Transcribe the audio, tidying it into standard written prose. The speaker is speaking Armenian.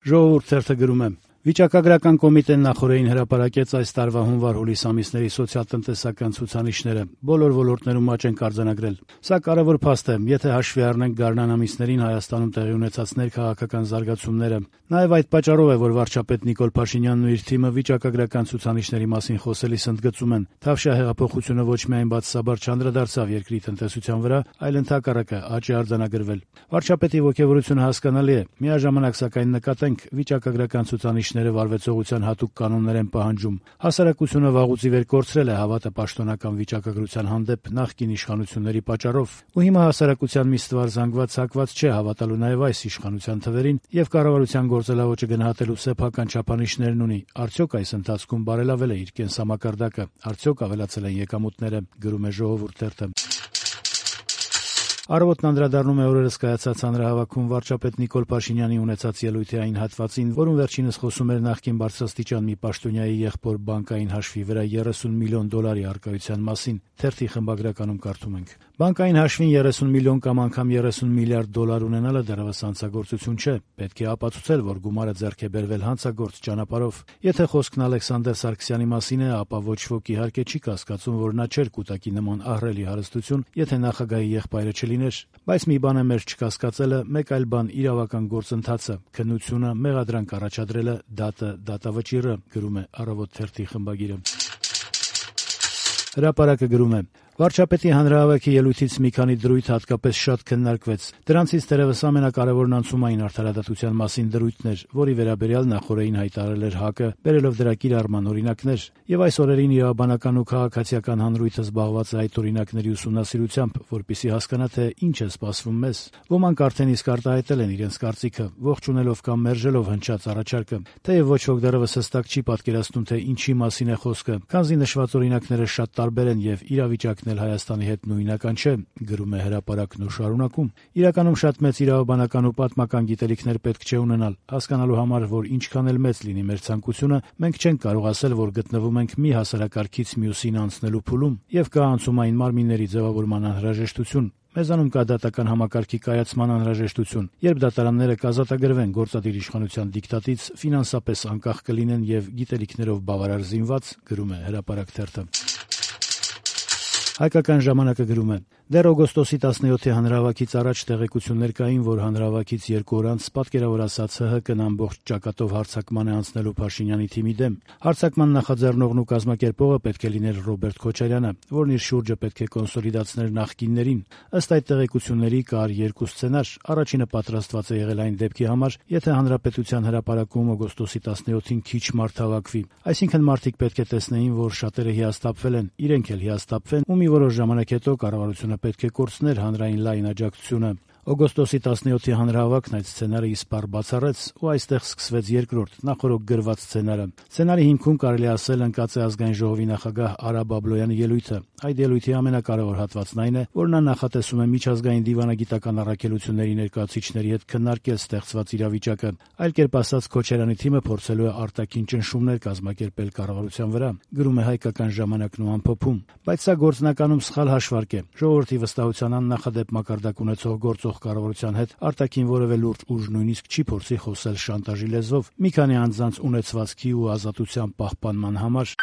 Ժողովուրդ թերթը գրում է. Վիճակագրական կոմիտեն նախօրեին հրապարակեց այս տարվա հունվար-հուլիս ամիսների սոցիալ-տնտեսական ցուցանիշները։ Բոլոր ոլորտներում աճ են արձանագրել։ Սա կարևոր փաստ է, եթե հաշվի առնենք գարնան ամիսներին Հայաստանում տեղի ունեցած ներքաղաքական զարգացումները։ Նաև այդ պատճառով է, որ վարչապետ Նիկոլ Փաշինյանն ու իր թիմը վիճակագրական ցուցանիշների մասին խոսելիս ընդգծում են. Թավշյա հեղափոխությունը ոչ միայն բացասաբար չանդրադարձավ երկրի տնտեսության վրա, այլ ընդհակառակը աճ է արձանագրվել։ Վարչապետի ոգևորությունը հասկանալի է։ Միաժամանակ սակայն նկատենք վիճակագրական ցուցանիշները վարվեցողության հատուկ կանոններ են պահանջում։ Հասարակությունը վաղուց ի վեր կորցրել է հավատը պաշտոնական վիճակագրության հանդեպ նախկին իշխանությունների պատճառով։ Ու հիմա հասարակության մի ստվար զանգված հակված չէ հավատալու նաև այս իշխանության թվերին եւ կառավարության գործելաոճը գնահատելու սեփական չափանիշներն ունի։ Արդյոք այս ընթացքում բարելավել է իր կենսամակարդակը, արդյոք ավելացել են եկամուտները, գրում է Ժողովուրդ թերթը։ Առավոտն անդրադառնում է օրերս կայացած հանրահավաքում վարչապետ Նիկոլ Փաշինյանի ունեցած ելույթի այն հատվածին, որում վերջինս խոսում էր նախկին բարձրաստիճան մի պաշտոնյայի եղբոր բանկային հաշվի վրա 30 միլիոն դոլարի առկայության մասին։ Թերթի խմբագրականում կարդում ենք. Բանկային հաշվին 30 միլիոն կամ անգամ 30 միլիարդ դոլար ունենալը դեռևս հանցագործություն չէ։ Պետք է ապացուցել, որ գումարը ձեռք է բերվել հանցագործ ճանապարհով։ Եթե խոսքն Ալեքսանդր Սարգսյանի մասին է, ապա ոչ ոք իհարկե չի կասկածում, որ նա չէր կուտակի նման ահռելի հարստություն, եթե նախագահի եղբայրը չլիներ։ Բայց մի բան է մեր չկասկածելը, մեկ այլ բան իրավական գործընթացը, քննությունը, մեղադրանք առաջադրելը, դատավճիռը, գրում է Առավոտ թերթի խմբագիրը։ Հրապարակը գրում է. Վարչապետի հանրահավաքի ելույթից մի քանի դրույթ հատկապես շատ քննարկվեց։ Դրանցից թերևս ամենակարևորն անցումային արդարադատության մասին դրույթն էր, որի վերաբերյալ նախօրեին հայտարարել էր ՀԱԿ-ը, բերելով դրա կիրառման օրինակներ։ Եվ այս օրերին իրավաբանական ու քաղաքացիական հանրույթը զբաղված է այդ օրինակների ուսումնասիրությամբ, որպեսզի հասկանա, թե ինչ է սպասվում մեզ։ Ոմանք արդեն իսկ արտահայտել են իրենց կարծիքը, ողջունելով կամ մերժելով հնչած առաջարկը, թեև ոչ ոք դեռևս հստակ չի պատկերացնում, թե ինչի մասին է խոսքը, քանզի նշված օրինակները շատ տարբեր են եւ իրավիճակն Հայաստանի հետ նույնական չէ, գրում է հրապարակն ու շարունակում. Իրականում շատ մեծ իրավաբանական ու պատմական գիտելիքներ պետք չէ ունենալ, հասկանալու համար, որ ինչքան էլ մեծ լինի մեր ցանկությունը, մենք չենք կարող ասել, որ գտնվում ենք մի հասարակարգից մյուսին անցնելու փուլում եւ կա անցումային մարմինների ձևավորման անհրաժեշտություն։ Մեզանում կա դատական համակարգի կայացման անհրաժեշտություն, երբ դատարանները կազատագրվեն գործադիր իշխանության դիկտատից, ֆինանսապես անկախ կլինեն եւ գիտելիքներով բավարար զինված, գրում է Հրապարակ թերթը։ Հայկական ժամանակը գրում է. Դեռ օգոստոսի 17-ի հանրահավաքից առաջ տեղեկություններ կային, որ հանրահավաքից 2 օր անց պատկերավոր ասած ՀՀԿ-ն ամբողջ ճակատով հարձակման է անցնելու Փաշինյանի թիմի դեմ։ Հարձակման նախաձեռնողն ու կազմակերպողը պետք է լիներ Ռոբերտ Քոչարյանը, որն իր շուրջը պետք է կոնսոլիդացներ նախկիններին։ Ըստ այդ տեղեկությունների կար 2 սցենար։ Առաջինը պատրաստված է եղել այն դեպքի համար, եթե հանրապետության հրապարակում օգոստոսի 17-ին քիչ մարդ հավաքվի։ Այսինքն մարդիկ պետք է տեսնեին, որ շատերը հիասթափվել են, իրենք էլ հիասթափվեն, ու մի որոշ ժամանակ հետո կառավարությունը պետք է կորցներ հանրային լայն աջակցությունը։ Օգոստոսի 17-ի հանրահավաքն այդ սցենարը իսպառ բացառեց, ու այստեղ սկսվեց երկրորդ, նախօրոք գրված սցենարը։ Սցենարի հիմքում կարելի ասել ընկած է Ազգային ժողովի նախագահ Արա Բաբլոյանի ելույթը։ Այդ ելույթի ամենակարևոր հատվածն այն է, որ նա նախատեսում է միջազգային դիվանագիտական առաքելությունների ներկայացուցիչների հետ քննարկել ստեղծված իրավիճակը։ Այլ կերպ ասած, Քոչարյանի թիմը փորձելու է արտաքին ճնշումներ կազմակերպել կառավարության վրա, գրում է Հայկական ժամանակն ու ամփոփում։ Բայց սա գործնականում սխալ հաշվարկ է։ Ժողովրդի վստահության աննախադեպ մակարդակ ունեցող գործող կառավարության հետ արտաքին որևէ լուրջ ուժ նույնիսկ չի փորձի խոսել շանտաժի լեզվով մի քանի անձանց ունեցվածքի ու ազատության պահպանման համար։